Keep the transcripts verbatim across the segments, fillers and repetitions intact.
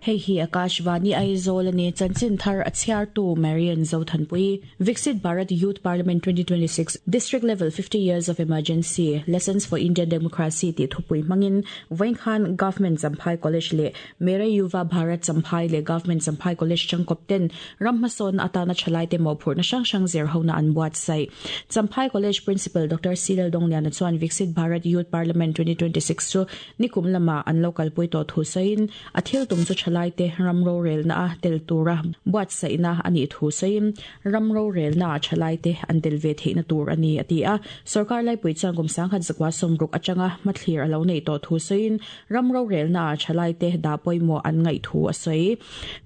Hei hi Akashvani Aizawl ani chanchin thar a chhiar tu Marian Zothanpui. Viksit Bharat Youth Parliament twenty twenty-six District Level fifty Years of Emergency Lessons for Indian Democracy ti thupui mangin Vaingkhan Government Champhai College le Mere Yuva Bharat Champhai le Government Champhai College changkop ten rammason atana chalai te mo phurna sang sang zer hona an buat sai. Champhai College Principal Doctor Silal Dongliana chuan Viksit Bharat Youth Parliament twenty twenty-six chu nikum lama an local pui to thu sain a thil tum chu chalai te ramro rel na tel tura buat saina ani thu sain ramro rel na chalai te an tel ve theina tur ani atia sarkar lai pui chang kum sang khat zakwa somruk achanga mathlir alo nei to thu sain ramro rel na chalai te da poimo an ngai thu asai.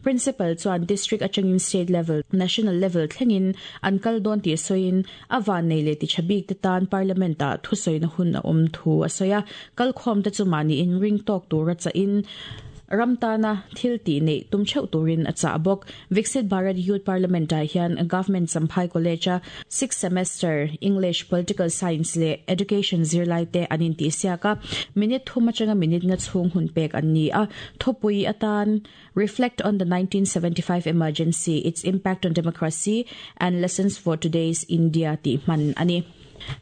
Principal chuan district achangin state level national level thlengin an kal don ti soin awan nei le ti chabik te tan parliament a thu soina hun a om thu asoya kal khom te chumani in ring tok tura cha in ramtana thil ti nei tum cheu turin a cha bok. Viksit Bharat Youth Parliament a hian Government Champhai College a sixth semester English Political Science le Education zirlai te anin ti siaka minute thuma changa minute nga chung hun pek an ni a thopui atan reflect on the nineteen seventy-five emergency, its impact on democracy and lessons for today's India ti man ani.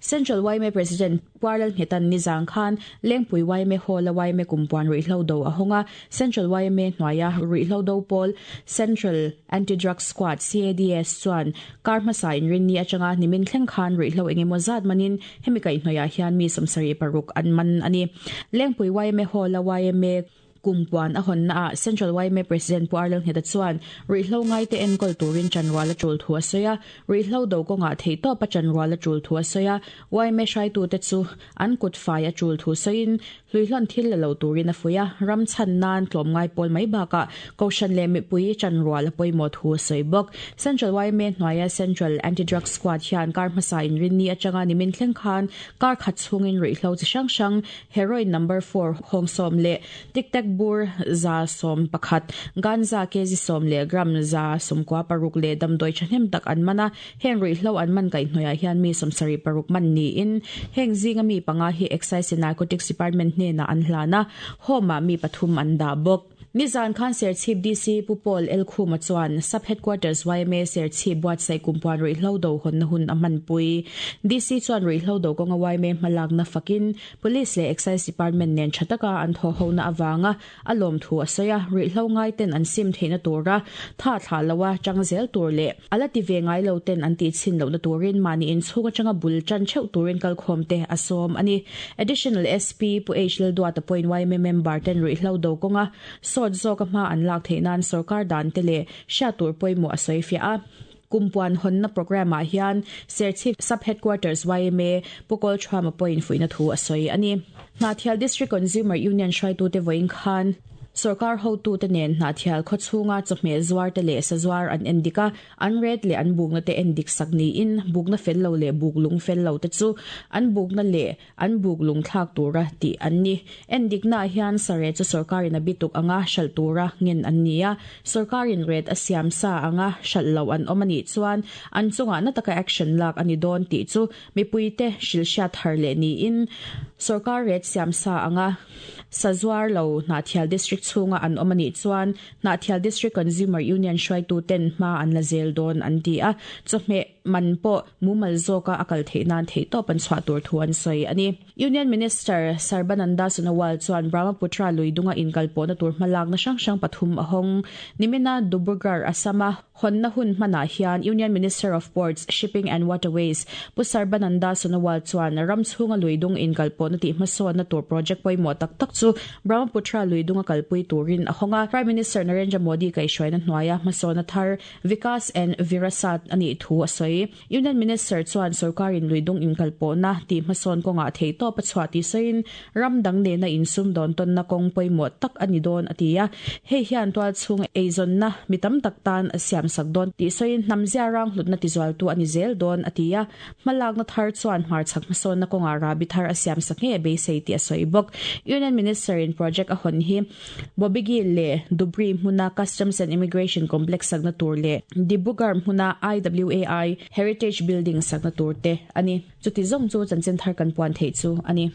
Central Y M A President Puarlal Ngetan Nizang Khan Lengpui Y M A Hall Y M A Kumpuan Ruihhlo Do ahonga Central Y M A hnuaia Ruihhlo Do Pawl Central Anti-Drug Squad C A D S chuan karma sa in rinni atanga nimin thleng khan ruihhlo engemaw zat manin hemi kai hnuaia hian mi sawmsarih paruk an man ani. Lengpui Y M A Hall Y M A Kumpuan a hon na a Central Y M A President Puarlal Ngeta chuan ruihhlo ngai te enkol turin chanwala tul thu asoya ruihhlo do konga thei to pa chanwala tul thu asoya Y M A hrai tu te chu an kut fai a tul thu soin hluihlon thil lo turin a fuya ram chan nan tlom ngai pol mai baka koshan le mi pui chanwala poimo thu soi bok. Central Y M A hnuaia Central Anti-Drug Squad hian kar hmasa in rinni atanga nimin thleng khan kar khat chungin ruihhlo chi hrang hrang heroin number four hongsom le tic tac bur za som pakhat ganza kezi som le gram za somkwa paruk le damdoi chanem tak an mana heng ruihhlo an man kai hnuaia hian mi sawmsarih paruk man ni in heng zinga mi panga hi Excise and Narcotics Department hne na an hlana homa mi pathum an da bok. Nizan Khan Serchhip D C Pupol El Khuma chuan Sub Headquarters Y M A Serchhip buatsaih kumpuan ruihhlo do hon na hun a manpui. D C chuan ruihhlo do kawnga Y M A hmalak na fakin Police le Excise Department nen thataka an tho ho na awanga a lawm thu a sawi a ruihhlo ngai ten an sim theihna tura tha thla lowa changzel tur le ala ti ve ngai lo ten an ti chin lo na turin mani in chhunga changa bul chan cheu turin kalkhawm te a sawm ani. Additional S P Pu H Lal Duata point Y M A member ten ruihhlo do kawnga so zawk a hma an lak theih nan sarkar dan te le hriat tur pawimawh a sawi fiah a. Kumpuan hon na program ah hian Serchhip Sub Headquarters Y M A Pukol Thama point fuina thu a sawi ani. Hnahthial District Consumer Union hruaitu te vawiin khan sarkar hotu te nen Hnahthial khawchhunga chawhmeh zuar te leh sazuar an endika an ret le an bukna te endik sak niin bukna fel lo le buk lung fel lo te chu an bukna le an buk lung thlak tura ti an ni. Endik na hian sare chu sarkarin a bituk anga hral tura ngen an nia sarkarin ret a siam sa anga hral lo an awm ani chuan an chunga na taka action lak ani dawn ti chu mipui te hrilhriat thar leh niin sarkar ret siam sa anga sazuar lo Hnahthial District chhunga an awm ani chuan Hnahthial District Consumer Union hruaitu ten hma an la zel dawn an ti a chawhmeh man pawh mumal zawka a kal theih nan theih tawp an chhuah tur thu an sawi ani. Union Minister Sarbananda Sonowal chuan Brahmaputra luidunga inkalpawhna tur hmalak na hrang hrang pathum a hawng nimina Dibrugarh Assama hon na hun hmanah hian Union Minister of Ports, Shipping and Waterways Pu Sarbananda Sonowal chuan ram chhunga luidung inkalpawhna tih hmasawnna tur project pawimawh tak tak chu Brahmaputra luidunga kalpui turin a hawnga Prime Minister Narendra Modi kaihhruaina hnuaia hmasawnna thar Vikas and Virasat ani thu a sawi. Union Minister chuan sarkarin luidung inkalpawhna tih hmasawn kawnga thei tawp a chhuah tih sawiin ram dang nena insum dawn tawnna kawng pawimawh tak ani dawn a ti a hei hian tual chhung eizawnna mi tam tak tan a siam sak dawn tih sawiin hnamzia rang hlutna tizual tu ani zel dawn a ti a hmalakna thar chuan hmarchhak hmasawnna kawnga rabi thar a siam sak nge beisei tih a sawi bawk. Union Minister in project a hawn hi Bobigil le Dubri hmuna Customs and Immigration Complex sakna tur le Dibrugarh hmuna I W A I Heritage Building sakna tur te ani. Chuti zawng chu chanchin thar kan puan theih chu ani.